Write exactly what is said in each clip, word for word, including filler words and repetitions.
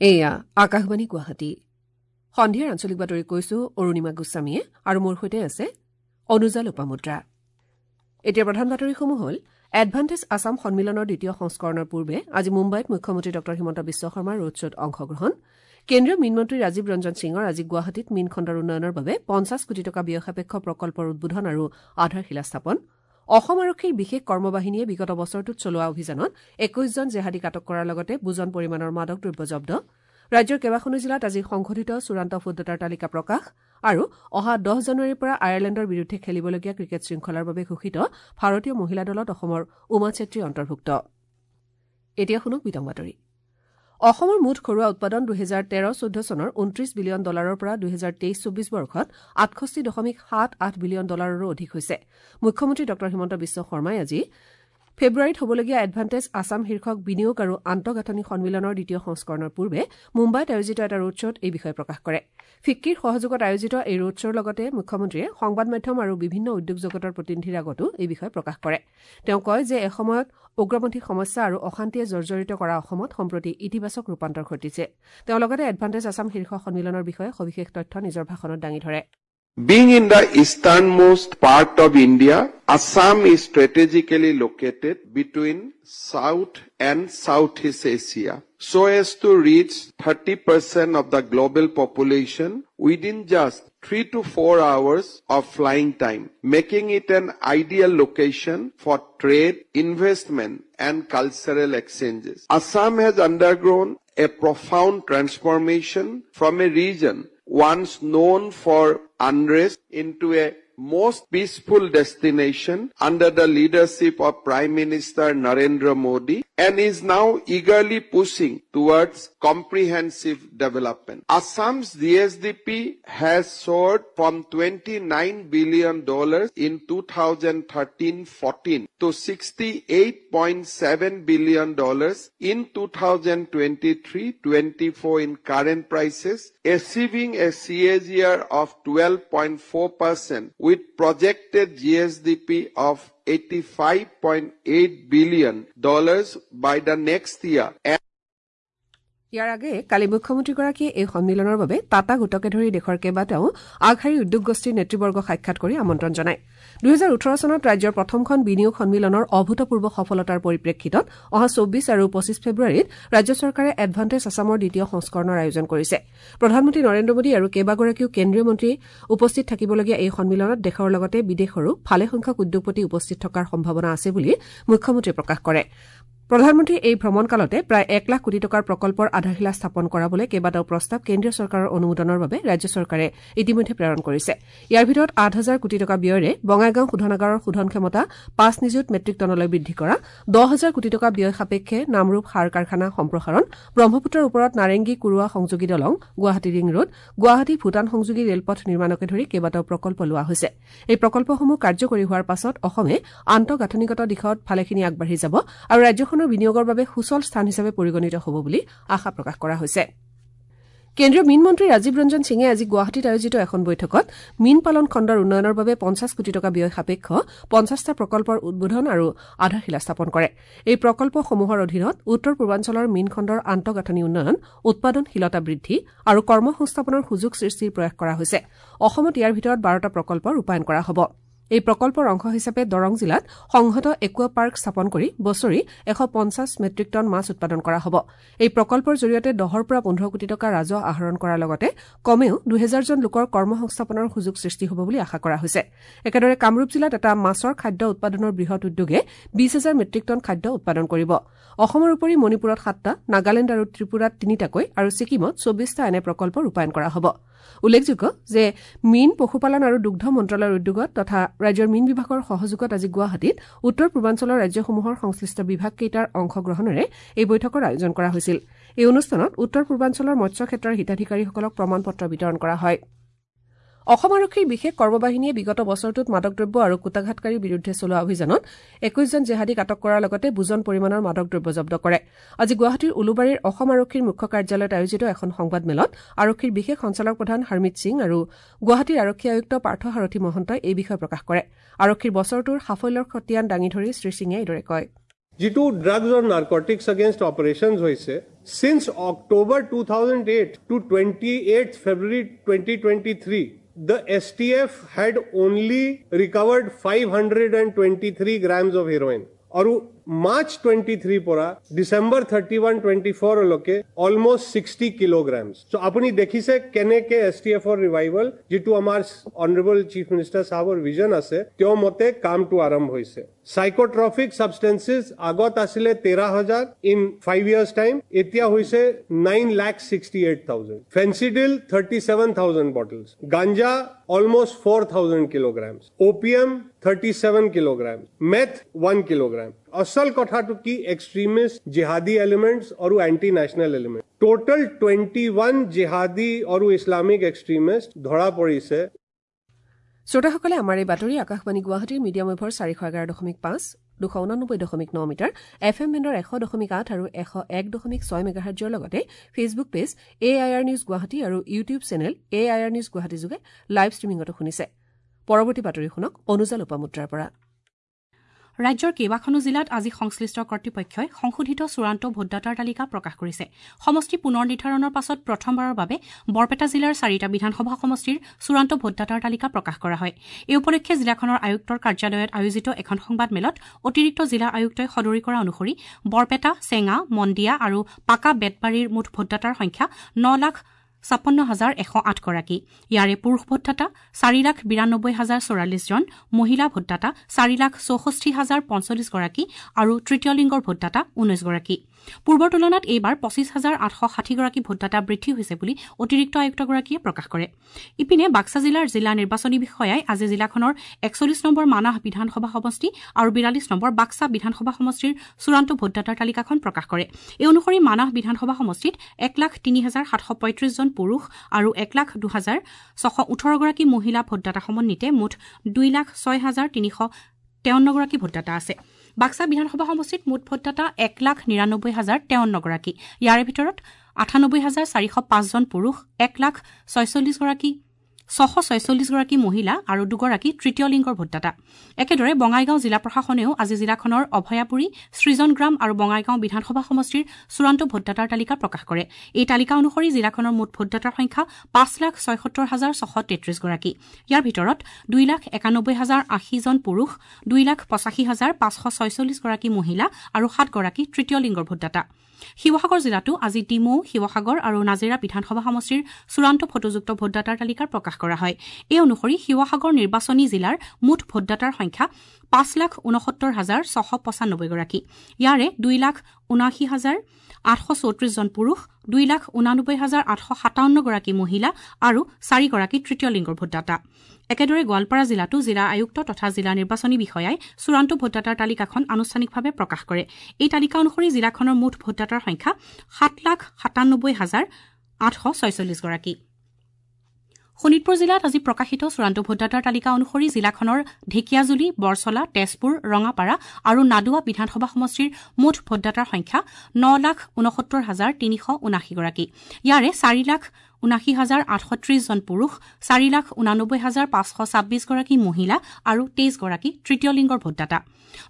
এয়া আকাশবাণী গুৱাহাটী। সন্ধিয়াৰ আঞ্চলিক বাতৰি কৈছো অৰুণিমা গোস্বামীয়ে আৰু মোৰ সৈতে আছে অনুজা লোপামুদ্ৰা। এতিয়া প্ৰধান বাতৰিসমূহ হ'ল এডভান্টেজ আছাম সন্মিলনৰ দ্বিতীয় সংস্কৰণৰ পূৰ্বে আজি মুম্বাইত মুখ্যমন্ত্ৰী ডঃ হিমন্ত বিশ্ব শৰ্মাৰ ৰোড শ্ব'ত অংশগ্ৰহণ। কেন্দ্ৰীয় মীনমন্ত্ৰী ৰাজীৱ ৰঞ্জন সিঙৰ আজি গুৱাহাটীত মীন খণ্ডৰ উন্নয়নৰ বাবে পঞ্চাছ কোটি টকা ব্যয়সাপেক্ষ প্ৰকল্পৰ উদ্বোধন আৰু আধাৰশিলা স্থাপন। অসম আৰক্ষীৰ বিশেষ কৰ্মবাহিনীয়ে বিগত বছৰটোত চলোৱা অভিযানত একৈশজন জেহাদীক আটক কৰাৰ লগতে বুজন পৰিমাণৰ মাদক দ্ৰব্য জব্দ। ৰাজ্যৰ কেইবাখনো জিলাত আজি সংশোধিত চূড়ান্ত ভোটদাতাৰ তালিকা প্ৰকাশ আৰু অহা দহ জানুৱাৰীৰ পৰা আয়াৰলেণ্ডৰ বিৰুদ্ধে খেলিবলগীয়া ক্ৰিকেট শৃংখলাৰ বাবে ঘোষিত ভাৰতীয় মহিলা দলত অসমৰ উমা চেত্ৰী অন্তৰ্ভুক্ত। এতিয়া শুনক বিতং বাতৰি। অসমৰ মুঠ ঘৰুৱা উৎপাদন দুহেজাৰ তেৰ চৈধ্য চনৰ ঊনত্ৰিশ বিলিয়ন ডলাৰৰ পৰা দুহেজাৰ তেইছ চৌবিশ বৰ্ষত আঠষষ্ঠি দশমিক সাত আঠ বিলিয়ন ডলাৰৰো অধিক হৈছে। মুখ্যমন্ত্ৰী ডঃ হিমন্ত বিশ্ব শৰ্মাই আজি ফেব্ৰুৱাৰীত হ'বলগীয়া এডভান্টেজ আছাম শীৰ্ষক বিনিয়োগ আৰু আন্তঃগাঁথনি সন্মিলনৰ দ্বিতীয় সংস্কৰণৰ পূৰ্বে মুম্বাইত আয়োজিত এটা ৰোড শ্ব'ত এই বিষয়ে প্ৰকাশ কৰে। ফিক্কিৰ সহযোগত আয়োজিত এই ৰোড শ্ব'ৰ লগতে মুখ্যমন্ত্ৰীয়ে সংবাদ মাধ্যম আৰু বিভিন্ন উদ্যোগ জগতৰ প্ৰতিনিধিৰ আগতো এই বিষয়ে প্ৰকাশ কৰে। তেওঁ কয় যে এসময়ত উগ্ৰপন্থী সমস্যা আৰু অশান্তিয়ে জৰ্জৰিত কৰা অসমত সম্প্ৰতি ইতিবাচক ৰূপান্তৰ ঘটিছে। তেওঁ লগতে এডভান্টেজ আছাম শীৰ্ষ সন্মিলনৰ বিষয়ে সবিশেষ তথ্য নিজৰ ভাষণত দাঙি ধৰে। Being in the easternmost part of India, Assam is strategically located between South and Southeast Asia, so as to reach thirty percent of the global population within just three to four hours of flying time, making it an ideal location for trade, investment and cultural exchanges. Assam has undergone a profound transformation from a region once known for unrest into a most peaceful destination under the leadership of Prime Minister Narendra Modi and is now eagerly pushing towards comprehensive development. Assam's G S D P has soared from twenty-nine billion dollars in two thousand thirteen fourteen to sixty-eight point seven billion dollars in two thousand twenty-three twenty-four in current prices, achieving a C A G R of twelve point four percent with projected G S D P of eighty-five point eight billion dollars by the next year. ইয়াৰ আগেয়ে কালি মুখ্যমন্ত্ৰীগৰাকীয়ে এই সন্মিলনৰ বাবে টাটা গোটকে ধৰি দেশৰ কেইবাটাও আগশাৰীৰ উদ্যোগ গোষ্ঠীৰ নেতৃবৰ্গক সাক্ষাৎ কৰি আমন্ত্ৰণ জনায়। দুহেজাৰ ওঠৰ চনত ৰাজ্যৰ প্ৰথমখন বিনিয়োগ সন্মিলনৰ অভূতপূৰ্ব সফলতাৰ পৰিপ্ৰেক্ষিতত অহা চৌবিশ আৰু পঁচিছ ফেব্ৰুৱাৰীত ৰাজ্য চৰকাৰে এডভান্টেজ আছামৰ দ্বিতীয় সংস্কৰণৰ আয়োজন কৰিছে। প্ৰধানমন্ত্ৰী নৰেন্দ্ৰ মোদী আৰু কেইবাগৰাকীও কেন্দ্ৰীয় মন্ত্ৰী উপস্থিত থাকিবলগীয়া এই সন্মিলনত দেশৰ লগতে বিদেশৰো ভালেসংখ্যক উদ্যোগপতি উপস্থিত থকাৰ সম্ভাৱনা আছে বুলি মুখ্যমন্ত্ৰীয়ে প্ৰকাশ কৰে। প্ৰধানমন্ত্ৰীৰ এই ভ্ৰমণকালতে প্ৰায় এক লাখ কোটি টকাৰ প্ৰকল্পৰ আধাৰশিলা স্থাপন কৰাবলৈ কেইবাটাও প্ৰস্তাৱ কেন্দ্ৰীয় চৰকাৰৰ অনুমোদনৰ বাবে ৰাজ্য চৰকাৰে ইতিমধ্যে প্ৰেৰণ কৰিছে। ইয়াৰ ভিতৰত আঠ হাজাৰ কোটি টকা ব্যয়েৰে বঙাইগাঁও শোধনাগাৰৰ শোধন ক্ষমতা পাঁচ নিযুত মেট্ৰিক টনলৈ বৃদ্ধি কৰা, দহ হাজাৰ কোটি টকা ব্যয় সাপেক্ষে নামৰূপ সাৰ কাৰখানা সম্প্ৰসাৰণ, ব্ৰহ্মপুত্ৰৰ ওপৰত নাৰেংগী কুৰুৱা সংযোগী দলং, গুৱাহাটী ৰিং ৰোড, গুৱাহাটী ভূটান সংযোগী ৰেলপথ নিৰ্মাণকে ধৰি কেইবাটাও প্ৰকল্প লোৱা হৈছে। এই প্ৰকল্পসমূহ কাৰ্যকৰী হোৱাৰ পাছত অসমে আন্তঃগাঁথনিগত দিশত ভালেখিনি আগবাঢ়ি যাব আৰু ৰাজ্যখনৰ বিনিয়োগৰ বাবে সুচল স্থান হিচাপে পৰিগণিত হ'ব বুলি আশা প্ৰকাশ কৰা হৈছে। কেন্দ্ৰীয় মীন মন্ত্ৰী ৰাজীৱ ৰঞ্জন সিঙে আজি গুৱাহাটীত আয়োজিত এখন বৈঠকত মীন পালন খণ্ডৰ উন্নয়নৰ বাবে পঞ্চাছ কোটি টকা ব্যয় সাপেক্ষ পঞ্চাছটা প্ৰকল্পৰ উদ্বোধন আৰু আধাৰশিলা স্থাপন কৰে। এই প্ৰকল্পসমূহৰ অধীনত উত্তৰ পূৰ্বাঞ্চলৰ মীন খণ্ডৰ আন্তঃগাঁথনি উন্নয়ন, উৎপাদনশীলতা বৃদ্ধি আৰু কৰ্মসংস্থাপনৰ সুযোগ সৃষ্টিৰ প্ৰয়াস কৰা হৈছে। অসমত ইয়াৰ ভিতৰত বাৰটা প্ৰকল্প ৰূপায়ণ কৰা হ'ব। এই প্ৰকল্পৰ অংশ হিচাপে দৰং জিলাত সংহত একুৱা পাৰ্ক স্থাপন কৰি বছৰি এশ পঞ্চাছ মেট্ৰিক টন মাছ উৎপাদন কৰা হ'ব। এই প্ৰকল্পৰ জৰিয়তে দহৰ পৰা পোন্ধৰ কোটি টকা ৰাজহ আহৰণ কৰাৰ লগতে কমেও দুহেজাৰজন লোকৰ কৰ্মসংস্থাপনৰ সুযোগ সৃষ্টি হ'ব বুলি আশা কৰা হৈছে। একেদৰে কামৰূপ জিলাত এটা মাছৰ খাদ্য উৎপাদনৰ বৃহৎ উদ্যোগে বিশ হাজাৰ মেট্ৰিক টন খাদ্য উৎপাদন কৰিব। অসমৰ উপৰি মণিপুৰত সাতটা, নাগালেণ্ড আৰু ত্ৰিপুৰাত তিনিটাকৈ আৰু ছিকিমত চৌবিশটা এনে প্ৰকল্প ৰূপায়ণ কৰা হ'ব। উল্লেখযোগ্য যে মীন, পশুপালন আৰু দুগ্ধ মন্ত্ৰালয়ৰ উদ্যোগত তথা ৰাজ্যৰ মীন বিভাগৰ সহযোগত আজি গুৱাহাটীত উত্তৰ পূৰ্বাঞ্চলৰ ৰাজ্যসমূহৰ সংশ্লিষ্ট বিভাগকেইটাৰ অংশগ্ৰহণেৰে এই বৈঠকৰ আয়োজন কৰা হৈছিল। এই অনুষ্ঠানত উত্তৰ পূৰ্বাঞ্চলৰ মৎস্য ক্ষেত্ৰৰ হিতাধিকাৰীসকলক প্ৰমাণ পত্ৰ বিতৰণ কৰা হয়। অসম আৰক্ষীৰ বিশেষ কৰ্মবাহিনীয়ে বিগত বছৰটোত মাদক দ্ৰব্য আৰু কূটাঘাতকাৰীৰ বিৰুদ্ধে চলোৱা অভিযানত একৈশজন জেহাদীক আটক কৰাৰ লগতে বুজন পৰিমাণৰ মাদক দ্ৰব্য জব্দ কৰে। আজি গুৱাহাটীৰ উলুবাৰীৰ অসম আৰক্ষীৰ মুখ্য কাৰ্যালয়ত আয়োজিত এখন সংবাদমেলত আৰক্ষীৰ বিশেষ সঞ্চালক প্ৰধান হৰমিত সিং আৰু গুৱাহাটীৰ আৰক্ষী আয়ুক্ত পাৰ্থ সাৰথি মহন্তই এই বিষয়ে প্ৰকাশ কৰে। আৰক্ষীৰ বছৰটোৰ সাফল্যৰ খতিয়ান দাঙি ধৰি শ্ৰীসিঙে এইদৰে কয়। যিটো ড্ৰাগছ আৰু নাৰ্কটিক্স আগেইনষ্ট অপাৰেশ্যনছ হৈছে since October two thousand eight to twenty eight February twenty twenty three the S T F had only recovered five hundred and twenty three grams of heroin আৰু মাৰ্চ টুৱেণ্টি থ্ৰীৰ পৰা December thirty one twenty ফ'ৰলৈকে almost sixty kilograms so' আপুনি দেখিছে কেনেকে S T এফৰ revival যিটো আমাৰ অনাৰেবল চিফ মিনিষ্টাৰ চাহাবৰ ভিজন আছে তেওঁৰ মতে কামটো আৰম্ভ হৈছে চাইকোট্ৰফিক ছাবষ্টেঞ্চেছ আগত আছিলে তেৰ হাজাৰ ইন ফাইভ ইয়াৰ্ছ টাইম এতিয়া হৈছে nine lakh sixty eight thousand Phensedyl thirty seven thousand bottles ganja almost four thousand kilograms opium thirty seven kilogram meth one kilogram আচল কথাটো কি এক্সট্ৰিমিষ্ট জিহাদী এলিমেণ্টছ আৰু anti national element total twenty one Jihadi আৰু Islamic extremist ধৰা পৰিছে শ্ৰোতাসকলে আমাৰ এই বাতৰি আকাশবাণী গুৱাহাটীৰ মিডিয়াম ৱেভৰ চাৰিশ এঘাৰ দশমিক পাঁচ দুশ ঊনানব্বৈ দশমিক ন মিটাৰ এফ এম বেণ্ডৰ এশ দশমিক আঠ আৰু এশ এক দশমিক ছয় মেগাহাৰ্জৰ লগতে Facebook page A I R news Guwahati আৰু YouTube channel A I R news Guwahati যোগে লাইভ ষ্ট্ৰীমিঙতো শুনিছে পৰৱৰ্তী বাতৰি শুনক অনুজা লোপামুদ্ৰাৰ পৰা ৰাজ্যৰ কেইবাখনো জিলাত আজি সংশ্লিষ্ট কৰ্তৃপক্ষই সংশোধিত চূড়ান্ত ভোটদাতাৰ তালিকা প্ৰকাশ কৰিছে সমষ্টি পুনৰ নিৰ্ধাৰণৰ পাছত প্ৰথমবাৰৰ বাবে বৰপেটা জিলাৰ চাৰিটা বিধানসভা সমষ্টিৰ চূড়ান্ত ভোটদাতাৰ তালিকা প্ৰকাশ কৰা হয় এই উপলক্ষে জিলাখনৰ আয়ুক্তৰ কাৰ্যালয়ত আয়োজিত এখন সংবাদমেলত অতিৰিক্ত জিলা আয়ুক্তই সদৰি কৰা অনুসৰি বৰপেটা চেঙা মন্দিয়া আৰু পাকা বেতবাৰীৰ মুঠ ভোটদাতাৰ সংখ্যা ন লাখ ছাপন্ন হাজাৰ এশ আঠগৰাকী ইয়াৰে পুৰুষ ভোটদাতা চাৰি লাখ বিৰানব্বৈ হাজাৰ চৌৰাল্লিছজন মহিলা ভোটদাতা চাৰি লাখ চৌষষ্ঠি হাজাৰ পঞ্চল্লিছগৰাকী আৰু তৃতীয় লিংগৰ ভোটদাতা ঊনৈছগৰাকী পূৰ্বৰ তুলনাত এইবাৰ পঁচিছ হাজাৰ আঠশ ষাঠিগৰাকী ভোটদাতা বৃদ্ধি হৈছে বুলি অতিৰিক্ত আয়ুক্তগৰাকীয়ে প্ৰকাশ কৰে ইপিনে বাক্সা জিলাৰ জিলা নিৰ্বাচনী বিষয়াই আজি জিলাখনৰ একচল্লিছ নম্বৰ মানাহ বিধানসভা সমষ্টি আৰু বিৰাল্লিছ নম্বৰ বাক্সা বিধানসভা সমষ্টিৰ চূড়ান্ত ভোটদাতাৰ তালিকাখন প্ৰকাশ কৰে এই অনুসৰি মানাহ বিধানসভা সমষ্টিত এক লাখ তিনি হাজাৰ সাতশ পঁয়ত্ৰিছজন পুৰুষ আৰু এক লাখ দুহাজাৰ ছশ ওঠৰগৰাকী মহিলা ভোটদাতা সমন্বিতে মুঠ দুই লাখ ছয় হাজাৰ তিনিশ তেৱন্নগৰাকী ভোটদাতা আছে বাক্সা বিধানসভা সমষ্টিত মুঠ ভোটদাতা এক লাখ নিৰানব্বৈ হাজাৰ তেৱন্নগৰাকী ইয়াৰে ভিতৰত আঠানব্বৈ হাজাৰ চাৰিশ পাঁচজন পুৰুষ এক লাখ ছয়চল্লিছগৰাকী ছশ ছয়চল্লিছগৰাকী মহিলা আৰু দুগৰাকী তৃতীয় লিংগৰ ভোটদাতা একেদৰে বঙাইগাঁও জিলা প্ৰশাসনেও আজি জিলাখনৰ অভয়াপুৰী সৃজনগ্ৰাম আৰু বঙাইগাঁও বিধানসভা সমষ্টিৰ চূড়ান্ত ভোটদাতাৰ তালিকা প্ৰকাশ কৰে এই তালিকা অনুসৰি জিলাখনৰ মুঠ ভোটদাতাৰ সংখ্যা পাঁচ লাখ ছয়সত্তৰ হাজাৰ ছশ তেত্ৰিছগৰাকী ইয়াৰ ভিতৰত দুই লাখ একানব্বৈ হাজাৰ আশীজন পুৰুষ দুই লাখ পঁচাশী হাজাৰ পাঁচশ ছয়চল্লিছগৰাকী মহিলা আৰু সাতগৰাকী তৃতীয় লিংগৰ ভোটদাতা শিৱসাগৰ জিলাতো আজি ডিমৌ শিৱসাগৰ আৰু নাজিৰা বিধানসভা সমষ্টিৰ চূড়ান্ত ফটোযুক্ত ভোটদাতাৰ তালিকা প্ৰকাশ কৰা হয় এই অনুসৰি শিৱসাগৰ নিৰ্বাচনী জিলাৰ মুঠ ভোটদাতাৰ সংখ্যা পাঁচ লাখ ঊনসত্তৰ হাজাৰ ছশ পঁচানব্বৈগৰাকী ইয়াৰে দুই লাখ ঊনাশী হাজাৰ আঠশ চৌত্ৰিছজন পুৰুষ দুই লাখ ঊনানব্বৈ হাজাৰ আঠশ সাতাৱন্নগৰাকী মহিলা আৰু চাৰিগৰাকী তৃতীয় লিংগৰ ভোটদাতা একেদৰে গোৱালপাৰা জিলাতো জিলা আয়ুক্ত তথা জিলা নিৰ্বাচনী বিষয়াই চূড়ান্ত ভোটদাতাৰ তালিকাখন আনুষ্ঠানিকভাৱে প্ৰকাশ কৰে এই তালিকা অনুসৰি জিলাখনৰ মুঠ ভোটদাতাৰ সংখ্যা সাত লাখ সাতানব্বৈ হাজাৰ আঠশ ছয়চল্লিছগৰাকী শোণিতপুৰ জিলাত আজি প্ৰকাশিত চূড়ান্ত ভোটদাতাৰ তালিকা অনুসৰি জিলাখনৰ ঢেকীয়াজুলি বৰচলা তেজপুৰ ৰঙাপাৰা আৰু নাদুৱা বিধানসভা সমষ্টিৰ মুঠ ভোটদাতাৰ সংখ্যা ন লাখ ঊনসত্তৰ হাজাৰ তিনিশ ঊনাশীগৰাকী ইয়াৰে চাৰি লাখ ঊনাশী হাজাৰ আঠশ ত্ৰিছজন পুৰুষ চাৰি লাখ ঊনানব্বৈ হাজাৰ পাঁচশ ছাব্বিছগৰাকী মহিলা আৰু তেইছগৰাকী তৃতীয় লিংগৰ ভোটদাতা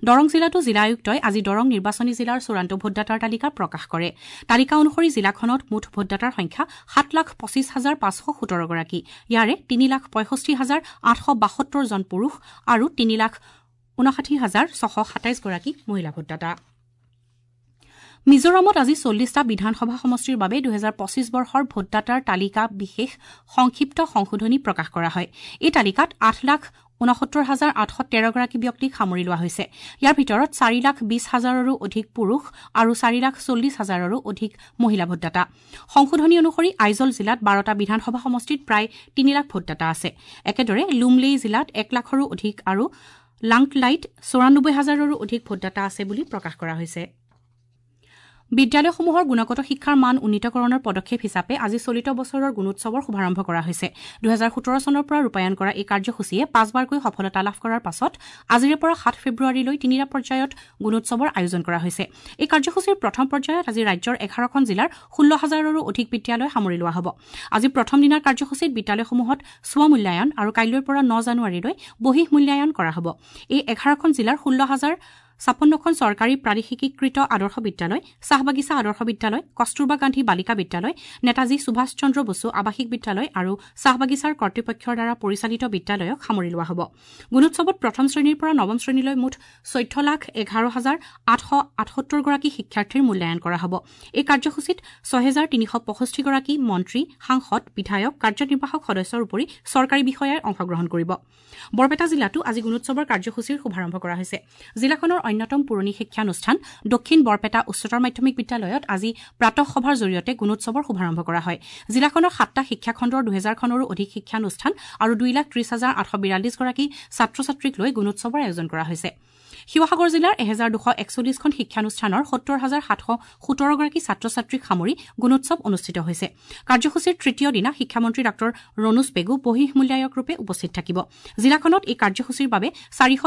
দৰং জিলাতো জিলা আয়ুক্তই আজি দৰং নিৰ্বাচনী জিলাৰ চূড়ান্ত ভোটদাতাৰ তালিকা প্ৰকাশ কৰে তালিকা অনুসৰি জিলাখনত মুঠ ভোটদাতাৰ সংখ্যা সাত লাখ পঁচিছ হাজাৰ পাঁচশ সোতৰগৰাকী ইয়াৰে তিনি লাখ পঁয়ষষ্ঠি হাজাৰ আঠশ বাসত্তৰজন পুৰুষ আৰু তিনি লাখ ঊনষাঠি হাজাৰ ছশ সাতাইছগৰাকী মহিলা ভোটদাতা মিজোৰামত আজি চল্লিছটা বিধানসভা সমষ্টিৰ বাবে দুহেজাৰ পঁচিছ বৰ্ষৰ ভোটদাতাৰ তালিকা বিশেষ সংক্ষিপ্ত সংশোধনী প্ৰকাশ কৰা হয় এই তালিকাত আঠ লাখ ঊনসত্তৰ হাজাৰ আঠশ তেৰগৰাকী ব্যক্তিক সামৰি লোৱা হৈছে ইয়াৰ ভিতৰত চাৰি লাখ বিছ হাজাৰৰো অধিক পুৰুষ আৰু চাৰি লাখ চল্লিছ হাজাৰৰো অধিক মহিলা ভোটদাতা সংশোধনী অনুসৰি আইজল জিলাত বাৰটা বিধানসভা সমষ্টিত প্ৰায় তিনি লাখ ভোটদাতা আছে একেদৰে লুমলেই জিলাত এক লাখৰো অধিক আৰু লাংটলাইত চৌৰানব্বৈ হাজাৰৰো অধিক ভোটদাতা আছে বুলি প্ৰকাশ কৰা হৈছে বিদ্যালয়সমূহৰ গুণগত শিক্ষাৰ মান উন্নীতকৰণৰ পদক্ষেপ হিচাপে আজি চলিত বছৰৰ গুণোৎসৱৰ শুভাৰম্ভ কৰা হৈছে দুহেজাৰ সোতৰ চনৰ পৰা ৰূপায়ণ কৰা এই কাৰ্যসূচীয়ে পাঁচবাৰকৈ সফলতা লাভ কৰাৰ পাছত আজিৰে পৰা সাত ফেব্ৰুৱাৰীলৈ তিনিটা পৰ্যায়ত গুণোৎসৱৰ আয়োজন কৰা হৈছে এই কাৰ্যসূচীৰ প্ৰথম পৰ্যায়ত আজি ৰাজ্যৰ এঘাৰখন জিলাৰ ষোল্ল হাজাৰৰো অধিক বিদ্যালয় সামৰি লোৱা হ'ব আজি প্ৰথম দিনাৰ কাৰ্যসূচীত বিদ্যালয়সমূহত স্ব মূল্যায়ন আৰু কাইলৈৰ পৰা ন জানুৱাৰীলৈ বহিঃ মূল্যায়ন কৰা হ'ব এই এঘাৰখন জিলাৰ ষোল্ল হাজাৰ ছাপন্নখন চৰকাৰী প্ৰাদেশিকীকৃত আদৰ্শ বিদ্যালয়, চাহ বাগিচা আদৰ্শ বিদ্যালয়, কস্তুৰবা গান্ধী বালিকা বিদ্যালয়, নেতাজী সুভাষ চন্দ্ৰ বসু আৱাসিক বিদ্যালয় আৰু চাহ বাগিচাৰ কৰ্তৃপক্ষৰ দ্বাৰা পৰিচালিত বিদ্যালয়ক সামৰি লোৱা হ'ব। গুণোৎসৱত প্ৰথম শ্ৰেণীৰ পৰা নৱম শ্ৰেণীলৈ মুঠ চৈধ্য লাখ এঘাৰ হাজাৰ আঠশ আঠসত্তৰগৰাকী শিক্ষাৰ্থীৰ মূল্যায়ন কৰা হ'ব। এই কাৰ্যসূচীত ছহেজাৰ তিনিশ পঁষষ্ঠিগৰাকী মন্ত্ৰী, সাংসদ, বিধায়ক, কাৰ্যনিৰ্বাহক সদস্যৰ উপৰি চৰকাৰী বিষয়াই অংশগ্ৰহণ কৰিব। বৰপেটা জিলাতো আজি গুণোৎসৱৰ কাৰ্যসূচীৰ শুভাৰম্ভ কৰা হৈছে। জিলাখনৰ অন্যতম পুৰণি শিক্ষানুষ্ঠান দক্ষিণ বৰপেটা উচ্চতৰ মাধ্যমিক বিদ্যালয়ত আজি প্ৰাতঃসভাৰ জৰিয়তে গুণোৎসৱৰ শুভাৰম্ভ কৰা হয়। জিলাখনৰ সাতটা শিক্ষাখণ্ডৰ দুহেজাৰখনৰো অধিক শিক্ষানুষ্ঠান আৰু দুই লাখ ত্ৰিশ হাজাৰ আঠশ বিৰাল্লিছগৰাকী ছাত্ৰ ছাত্ৰীক লৈ গুণোৎসৱৰ আয়োজন কৰা হৈছে। শিৱসাগৰ জিলাৰ এহেজাৰ দুশ একচল্লিছখন শিক্ষানুষ্ঠানৰ সত্তৰ হাজাৰ সাতশ সোতৰগৰাকী ছাত্ৰ ছাত্ৰীক সামৰি গুণোৎসৱ অনুষ্ঠিত হৈছে। কাৰ্যসূচীৰ তৃতীয় দিনা শিক্ষামন্ত্ৰী ডাঃ ৰণোজ পেগু বহিঃ মূল্যায়কৰূপে উপস্থিত থাকিব। জিলাখনত এই কাৰ্যসূচীৰ বাবে চাৰিশ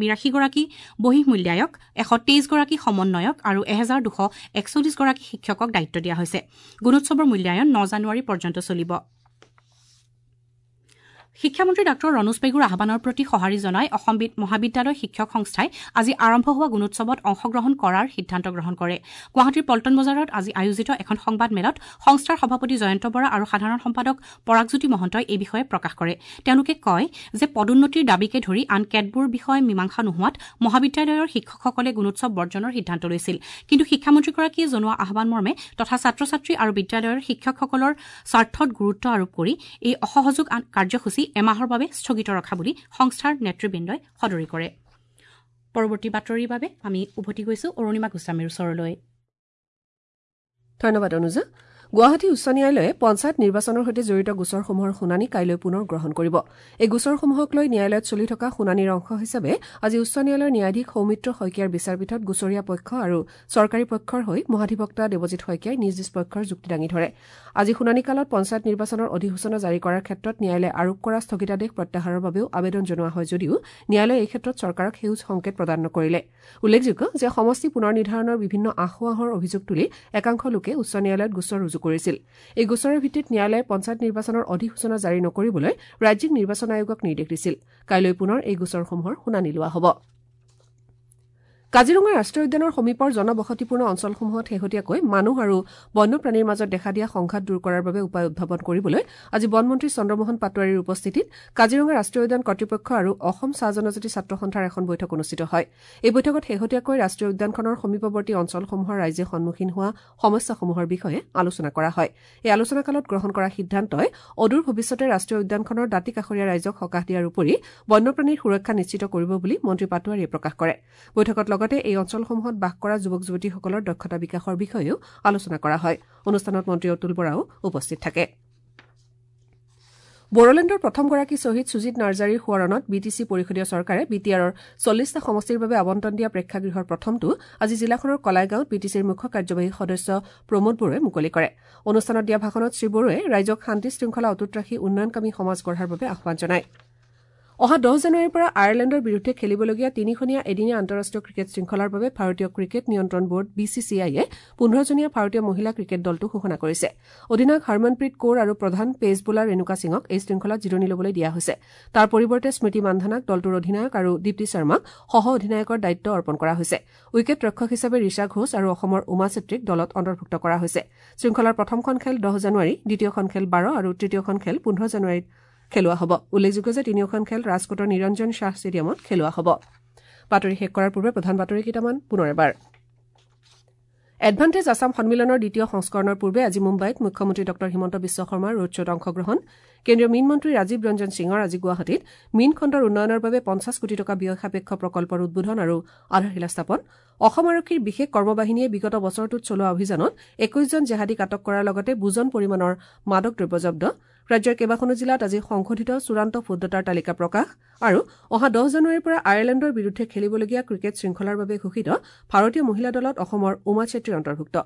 বিৰাশীগৰাকী বহিঃ মূল্যায়ক, এশ তেইছগৰাকী সমন্বয়ক আৰু এহেজাৰ দুশ একচল্লিছগৰাকী শিক্ষকক দায়িত্ব দিয়া হৈছে। গুণোৎসৱৰ মূল্যায়ন ন জানুৱাৰী পৰ্যন্ত চলিব। শিক্ষামন্ত্ৰী ডাঃ ৰণোজ পেগুৰ আহ্বানৰ প্ৰতি সঁহাৰি জনাই অসম মহাবিদ্যালয় শিক্ষক সংস্থাই আজি আৰম্ভ হোৱা গুণোৎসৱত অংশগ্ৰহণ কৰাৰ সিদ্ধান্ত গ্ৰহণ কৰে। গুৱাহাটীৰ পল্টন বজাৰত আজি আয়োজিত এখন সংবাদমেলত সংস্থাৰ সভাপতি জয়ন্ত বৰা আৰু সাধাৰণ সম্পাদক পৰাগজ্যোতি মহন্তই এই বিষয়ে প্ৰকাশ কৰে। তেওঁলোকে কয় যে পদোন্নতিৰ দাবীকে ধৰি আন কেতবোৰ বিষয় মীমাংসা নোহোৱাত মহাবিদ্যালয়ৰ শিক্ষকসকলে গুণোৎসৱ বৰ্জনৰ সিদ্ধান্ত লৈছিল। কিন্তু শিক্ষামন্ত্ৰীগৰাকীয়ে জনোৱা আহ্বানমৰ্মে তথা ছাত্ৰ ছাত্ৰী আৰু বিদ্যালয়ৰ শিক্ষকসকলৰ স্বাৰ্থত গুৰুত্ব আৰোপ কৰি এই অসহযোগ কাৰ্যসূচী এমাহৰ বাবে স্থগিত ৰখা বুলি সংস্থাৰ নেতৃবৃন্দই সদৰি কৰে। পৰৱৰ্তী বাতৰিৰ বাবে আমি উভতি গৈছো অৰুণিমা গোস্বামীৰ ওচৰলৈ। ধন্যবাদ অনুজা। গুৱাহাটী উচ্চ ন্যায়ালয়ে পঞ্চায়ত নিৰ্বাচনৰ সৈতে জড়িত গোচৰসমূহৰ শুনানি কাইলৈ পুনৰ গ্ৰহণ কৰিব। এই গোচৰসমূহক লৈ ন্যায়ালয়ত চলি থকা শুনানিৰ অংশ হিচাপে আজি উচ্চ ন্যায়ালয়ৰ ন্যায়াধীশ সৌমিত্ৰ শইকীয়াৰ বিচাৰপীঠত গোচৰীয়া পক্ষ আৰু চৰকাৰী পক্ষৰ হৈ মহাধিবক্তা দেৱজিৎ শইকীয়াই নিজ নিজ পক্ষৰ যুক্তি দাঙি ধৰে। আজি শুনানিকালত পঞ্চায়ত নিৰ্বাচনৰ অধিসূচনা জাৰি কৰাৰ ক্ষেত্ৰত ন্যায়ালয়ে আৰোপ কৰা স্থগিতাদেশ প্ৰত্যাহাৰৰ বাবেও আবেদন জনোৱা হয় যদিও ন্যায়ালয়ে এই ক্ষেত্ৰত চৰকাৰক সেউজ সংকেত প্ৰদান নকৰিলে। উল্লেখযোগ্য যে সমষ্টি পুনৰ নিৰ্ধাৰণৰ বিভিন্ন আসোঁৱাহৰ অভিযোগ তুলি একাংশ লোকে উচ্চ ন্যায়ালয়ত গোচৰ ৰুজু কৰিছিল। এই গোচৰৰ ভিত্তিত ন্যায়ালয়ে পঞ্চায়ত নিৰ্বাচনৰ অধিসূচনা জাৰি নকৰিবলৈ ৰাজ্যিক নিৰ্বাচন আয়োগক নিৰ্দেশ দিছিল। কাইলৈ পুনৰ এই গোচৰসমূহৰ শুনানি লোৱা হ'ব। কাজিৰঙা ৰাষ্ট্ৰীয় উদ্যানৰ সমীপৰ জনবসতিপূৰ্ণ অঞ্চলসমূহত শেহতীয়াকৈ মানুহ আৰু বন্যপ্ৰাণীৰ মাজত দেখা দিয়া সংঘাত দূৰ কৰাৰ বাবে উপায় উদ্ভাৱন কৰিবলৈ আজি বনমন্ত্ৰী চন্দ্ৰমোহন পাটোৱাৰীৰ উপস্থিতিত কাজিৰঙা ৰাষ্ট্ৰীয় উদ্যান কৰ্তৃপক্ষ আৰু অসম চাহ জনজাতি ছাত্ৰ সন্থাৰ এখন বৈঠক অনুষ্ঠিত হয়। এই বৈঠকত শেহতীয়াকৈ ৰাষ্ট্ৰীয় উদ্যানখনৰ সমীপৱৰ্তী অঞ্চলসমূহৰ ৰাইজে সন্মুখীন হোৱা সমস্যাসমূহৰ বিষয়ে আলোচনা কৰা হয়। এই আলোচনাকালত গ্ৰহণ কৰা সিদ্ধান্তই অদূৰ ভৱিষ্যতে ৰাষ্ট্ৰীয় উদ্যানখনৰ দাঁতিকাষৰীয়া ৰাইজক সকাহ দিয়াৰ উপৰি বন্যপ্ৰাণীৰ সুৰক্ষা নিশ্চিত কৰিব বুলি মন্ত্ৰী পাটোৱাৰীয়ে প্ৰকাশ কৰে। বৈঠকত লগতে এই অঞ্চলসমূহত বাস কৰা যুৱক যুৱতীসকলৰ দক্ষতা বিকাশৰ বিষয়েও আলোচনা কৰা হয়। অনুষ্ঠানত মন্ত্ৰী অতুল বৰাও উপস্থিত থাকে। বড়োলেণ্ডৰ প্ৰথমগৰাকী শ্বহীদ সুজিত নাৰ্জাৰীৰ সোঁৱৰণত বি টি চি পৰিষদীয় চৰকাৰে বি টি আৰৰ চল্লিছটা সমষ্টিৰ বাবে আবণ্টন দিয়া প্ৰেক্ষাগৃহৰ প্ৰথমটো আজি জিলাখনৰ কলাইগাঁৱত বি টি চিৰ মুখ্য কাৰ্যবাহী সদস্য প্ৰমোদ বড়োৱে মুকলি কৰে। অনুষ্ঠানত দিয়া ভাষণত শ্ৰীবড়োৱে ৰাইজক শান্তি শৃংখলা অটুট ৰাখি উন্নয়নকামী সমাজ গঢ়াৰ বাবে আহ্বান জনায়। অহা দহ জানুৱাৰীৰ পৰা আয়াৰলেণ্ডৰ বিৰুদ্ধে খেলিবলগীয়া তিনিখনীয়া এদিনীয়া আন্তঃৰাষ্ট্ৰীয় ক্ৰিকেট শৃংখলাৰ বাবে ভাৰতীয় ক্ৰিকেট নিয়ন্ত্ৰণ বোৰ্ড বি চি চি আইয়ে পোন্ধৰজনীয়া ভাৰতীয় মহিলা ক্ৰিকেট দলটো ঘোষণা কৰিছে। অধিনায়ক হৰমনপ্ৰীত কৌৰ আৰু প্ৰধান পেচ বলাৰ ৰেণুকা সিঙক এই শৃংখলাত জিৰণি ল'বলৈ দিয়া হৈছে। তাৰ পৰিৱৰ্তে স্মৃতি মান্ধানাক দলটোৰ অধিনায়ক আৰু দীপ্তি শৰ্মাক সহ অধিনায়কৰ দায়িত্ব অৰ্পণ কৰা হৈছে। উইকেট ৰক্ষক হিচাপে ঋষা ঘোষ আৰু অসমৰ উমা চেত্ৰীক দলত অন্তৰ্ভুক্ত কৰা হৈছে। শৃংখলাৰ প্ৰথমখন খেল দহ জানুৱাৰী, দ্বিতীয়খন খেল বাৰ আৰু তৃতীয়খন খেল পোন্ধৰ জানুৱাৰীত খেলোৱা হ'ব। উল্লেখযোগ্য যে তিনিওখন খেল ৰাজকোটৰ নিৰঞ্জন শ্বাহ ষ্টেডিয়ামত খেলোৱা হ'ব। বাতৰি শেষ কৰাৰ পূৰ্বে প্ৰধান বাতৰি কেইটামান পুনৰ এবাৰ। এডভান্টেজ আছাম সন্মিলনৰ দ্বিতীয় সংস্কৰণৰ পূৰ্বে আজি মুম্বাইত মুখ্যমন্ত্ৰী ডঃ হিমন্ত বিশ্ব শৰ্মাৰ ৰোড শ্ব'ত অংশগ্ৰহণ। কেন্দ্ৰীয় মীন মন্ত্ৰী ৰাজীৱ ৰঞ্জন সিঙৰ আজি গুৱাহাটীত মীন খণ্ডৰ উন্নয়নৰ বাবে পঞ্চাছ কোটি টকা ব্যয় সাপেক্ষ প্ৰকল্পৰ উদ্বোধন আৰু আধাৰশিলা স্থাপন। অসম আৰক্ষীৰ বিশেষ কৰ্মবাহিনীয়ে বিগত বছৰটোত চলোৱা অভিযানত একৈশজন জেহাদীক আটক কৰাৰ লগতে বুজন পৰিমাণৰ মাদক দ্ৰব্য জব্দ। ৰাজ্যৰ কেইবাখনো জিলাত আজি সংশোধিত চূড়ান্ত ভোটদাতাৰ তালিকা প্ৰকাশ আৰু অহা দহ জানুৱাৰীৰ পৰা আয়াৰলেণ্ডৰ বিৰুদ্ধে খেলিবলগীয়া ক্ৰিকেট শৃংখলাৰ বাবে ঘোষিত ভাৰতীয় মহিলা দলত অসমৰ উমা চেত্ৰী অন্তৰ্ভুক্ত।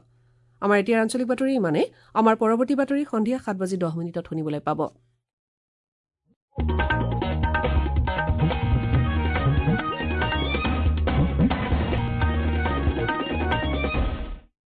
আমাৰ এতিয়াৰ আঞ্চলিক বাতৰি ইমানেই। আমাৰ পৰৱৰ্তী বাতৰি সন্ধিয়া সাত বাজি দহ মিনিটত শুনিবলৈ পাব।